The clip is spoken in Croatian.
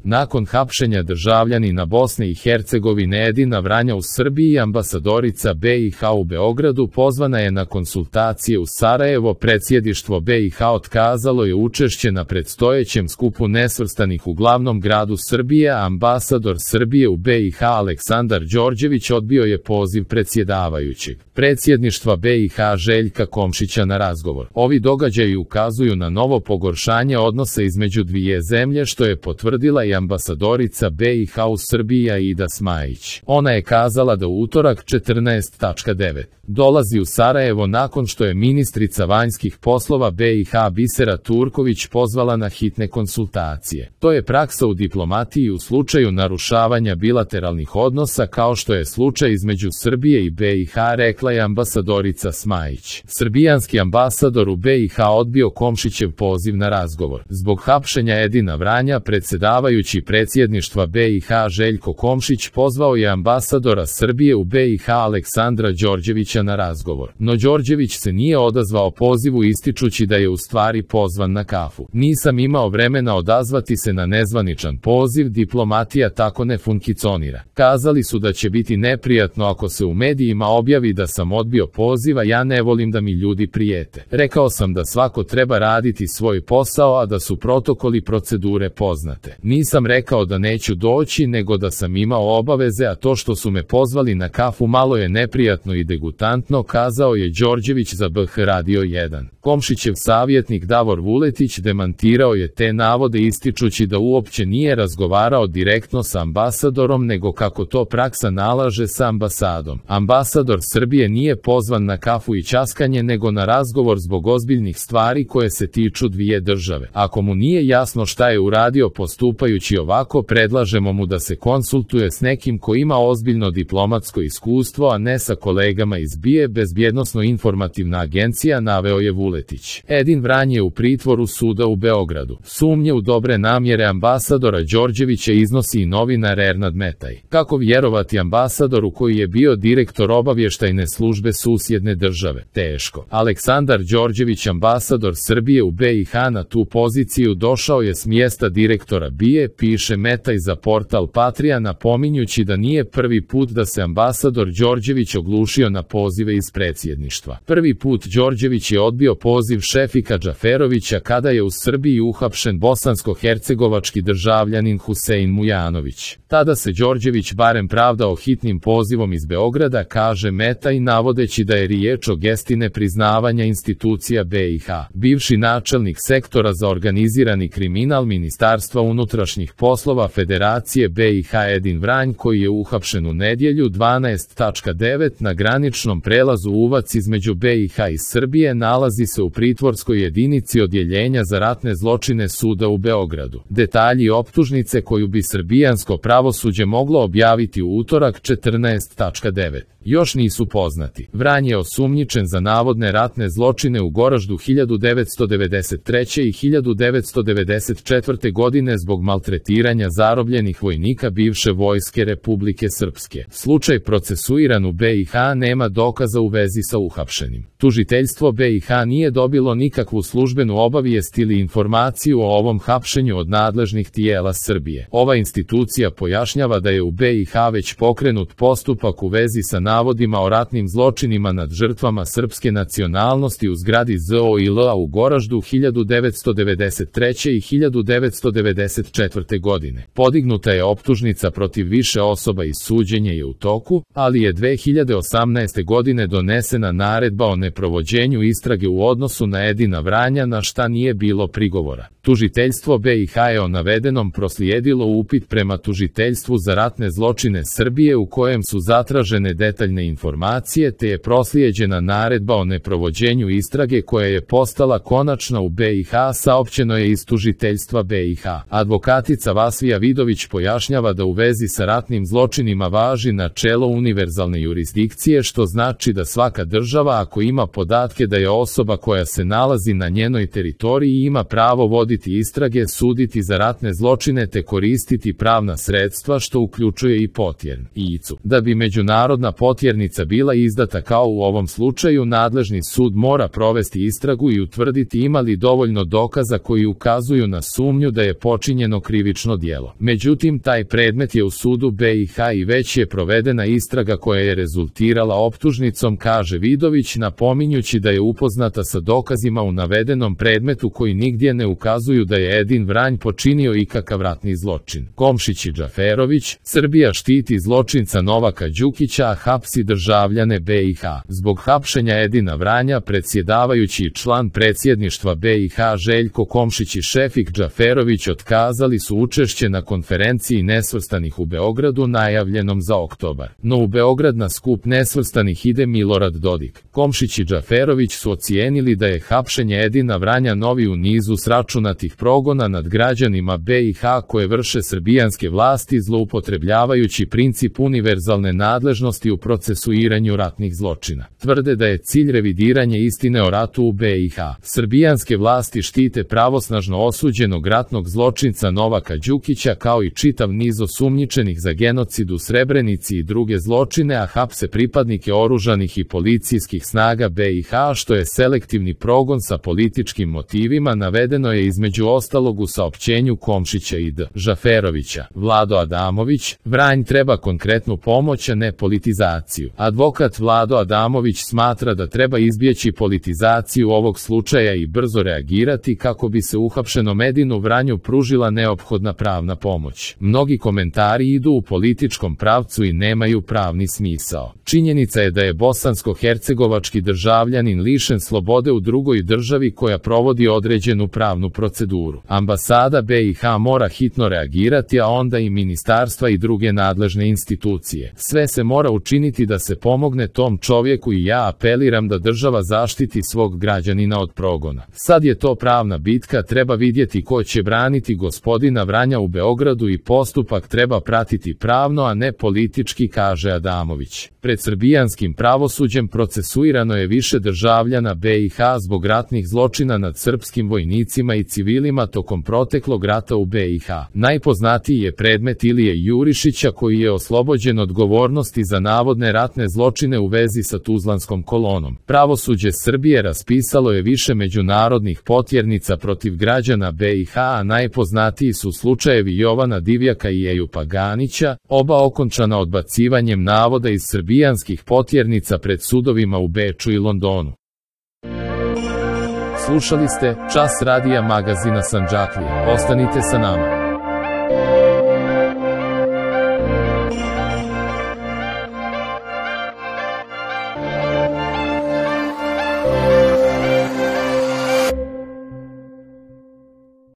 Nakon hapšenja državljanina Bosne i Hercegovine Edina Vranja u Srbiji, ambasadorica BiH u Beogradu pozvana je na konsultacije u Sarajevo. Predsjedništvo BiH otkazalo je učešće na predstojećem skupu nesvrstanih u glavnom gradu Srbije, a ambasador Srbije u BiH Aleksandar Đorđević odbio je poziv predsjedavajućeg predsjedništva BiH Željka Komšića na razgovor. Ovi događaji ukazuju na novo pogoršanje odnosa između dvije zemlje, što je potvrdila i ambasadorica BiH u Srbiji Aida Smajić. Ona je kazala da u utorak 14.9. dolazi u Sarajevo nakon što je ministrica vanjskih poslova BiH Bisera Turković pozvala na hitne konsultacije. To je praksa u diplomatiji u slučaju narušavanja bilateralnih odnosa, kao što je slučaj između Srbije i BiH, rekla je ambasadorica Smajić. Srbijanski ambasador u BiH odbio Komšićev poziv na razgovor. Zbog hapšenja Edina Vranja, predsjedavajući predsjedništva BiH Željko Komšić pozvao je ambasadora Srbije u BiH Aleksandra Đorđevića na razgovor. No Đorđević se nije odazvao pozivu, ističući da je u stvari pozvan na kafu. Nisam imao vremena odazvati se na nezvaničan poziv, diplomatija tako ne funkcionira. Kazali su da će biti neprijatno ako se u medijima objavi da sam odbio poziva, ja ne volim da mi ljudi prijete. Rekao sam da svako treba raditi svoj posao, a da su protokoli procedure poznate. Nisam rekao da neću doći, nego da sam imao obaveze, a to što su me pozvali na kafu malo je neprijatno i degutantno, kazao je Đorđević za BH Radio 1. Komšićev savjetnik Davor Vuletić demantirao je te navode, ističući da uopće nije razgovarao direktno sa ambasadorom, nego kako to praksa nalaže sa ambasadom. Ambasador Srbije nije pozvan na kafu i ćaskanje, nego na razgovor zbog ozbiljnih stvari koje se tiču dvije države. Ako mu nije jasno šta je uradio postupajući ovako, predlažemo mu da se konsultuje s nekim ko ima ozbiljno diplomatsko iskustvo, a ne sa kolegama iz BIA, bezbjednosno-informativna agencija, naveo je Vuletić. Edin Vranje je u pritvoru suda u Beogradu. Sumnje u dobre namjere ambasadora Đorđevića iznosi i novinar Ernad Metaj. Kako vjerovati ambasadoru koji je bio direktor obavještajne službe susjedne države? Teško. Aleksandar Đorđević, ambasador Srbije u BiH, na tu poziciju došao je s mjesta direktora BIA, piše Metaj za portal Patria, napominjući da nije prvi put da se ambasador Đorđević oglušio na pozive iz predsjedništva. Prvi put Đorđević je odbio poziv Šefika Džaferovića kada je u Srbiji uhapšen bosansko-hercegovački državljanin Husein Mujanović. Tada se Đorđević barem pravdao hitnim pozivom iz Beograda, kaže Metaj, navodeći da je riječ o gesti nepriznavanja institucija BiH. Bivši načelnik sektora za organizirani kriminal Ministarstva unutrašnjih poslova Federacije BiH Edin Vranj, koji je uhapšen u nedjelju 12.9. na graničnom prelazu Uvac između BiH i Srbije, nalazi se u pritvorskoj jedinici Odjeljenja za ratne zločine suda u Beogradu. Detalji optužnice koju bi srbijansko pravosuđe moglo objaviti u utorak 14.9. još nisu poznati. Vranj je osumnjičen za navodne ratne zločine u Goraždu 1993. i 1994. godine zbog maltretiranja zarobljenih vojnika bivše vojske Republike Srpske. Slučaj procesuiran u BiH, nema dokaza u vezi sa uhapšenim. Tužiteljstvo BiH nije dobilo nikakvu službenu obavijest ili informaciju o ovom hapšenju od nadležnih tijela Srbije. Ova institucija pojašnjava da je u BiH već pokrenut postupak u vezi sa navodima o ratnim zločinima nad žrtvama srpske nacionalnosti u zgradi ZOIL-a u Goraždu 1993. i 1994. godine. Podignuta je optužnica protiv više osoba i suđenje je u toku, ali je 2018. godine donesena naredba o neprovođenju istrage u odnosu na Edina Vranja, na šta nije bilo prigovora. Tužiteljstvo BiH je o navedenom proslijedilo upit prema Tužiteljstvu za ratne zločine Srbije u kojem su zatražene detaljne informacije, te je proslijeđena naredba o neprovođenju istrage koja je postala konačna u BiH, saopćeno je iz Tužiteljstva BiH. Advokatica Vasvija Vidović pojašnjava da u vezi sa ratnim zločinima važi načelo univerzalne jurisdikcije, što znači da svaka država, ako ima podatke da je osoba koja se nalazi na njenoj teritoriji, ima pravo voditi istrage, suditi za ratne zločine te koristiti pravna sredstva, što uključuje i potjern. Da bi međunarodna potjernica bila izdata kao u ovom slučaju, nadležni sud mora provesti istragu i utvrditi ima li dovoljno dokaza koji ukazuju na sumnju da je počinjeno krivično djelo. Međutim, taj predmet je u sudu BiH i već je provedena istraga koja je rezultirala optužnicom, kaže Vidović, napominjući da je upoznata sa dokazima u navedenom predmetu koji nigdje ne ukazuju da je Edin Vranj počinio ikakav ratni zločin. Komšić i Džaferović: Srbija štiti zločinca Novaka Đukića, a hapsi državljane BiH. Zbog hapšenja Edina Vranja predsjedavajući i član predsjedništva BiH Željko Komšić i Šefik Džaferović otkazali su učešće na konferenciji nesvrstanih u Beogradu najavljenom za oktobar. No u Beograd na skup nesvrstanih ide Milorad Dodik. Komšić i Džaferović su ocijenili da je hapšenje Edina Vranja novi u nizu sračunatih progona nad građanima BiH koje vrše srbijanske vlasti zloupotrebljavajući princip univerzalne nadležnosti u procesuiranju ratnih zločina. Tvrde da je cilj revidiranje istine o ratu u BiH. Srbijanske vlasti štite pravosnažno osuđenog ratnog zločinca Novaka Đukića kao i čitav niz osumnjičenih za genocid u Srebrenici i druge zločine, a hapse pripadnike oružanih i policijskih snaga BiH, što je selektivni progon sa političkim motivima, navedeno je između ostalog u saopćenju Komšića i Džaferovića. Vlado Adamović: Vranj treba konkretnu pomoć, a ne politizaciju. Advokat Vlado Adamović smatra da treba izbjeći politizaciju ovog slučaja i brzo reagirati kako bi se uhapšenom Edinu Vranju pružila neophodna pravna pomoć. Mnogi komentari idu u političkom pravcu i nemaju pravni smisao. Činjenica je da je bosansko-hercegovački državljanin lišen slobode u drugoj državi koja provodi određenu pravnu proceduru. Ambasada BiH mora hitno reagirati, a onda i ministarstva i druge nadležne institucije. Sve se mora učiniti da se pomogne tom čovjeku i ja apeliram da država zaštiti svog građanina od progona. Sad je to pravna bitka, treba vidjeti ko će braniti gospodina Vranja u Beogradu i postupak treba pratiti pravno, a ne politički, kaže Adamović. Pred srbijanskim pravosuđem procesuirano je više državljana BiH zbog ratnih zločina nad srpskim vojnicima i civilima tokom proteklog rata u BiH. Najpoznatiji je predmet Ilije Jurišića koji je oslobođen odgovornosti za navodne ratne zločine u vezi sa Tuzlanskom kolonom. Pravosuđe Srbije raspisalo je više međunarodnih potjernica protiv građana BiH, a najpoznatiji su slučajevi Jovana Divjaka i Ejupa Ganića, oba okončana odbacivanjem navoda iz srbijanskih potjernica pred sudovima u Beču i Londonu. Slušali ste Čas radija magazina Sandžaklije. Ostanite sa nama.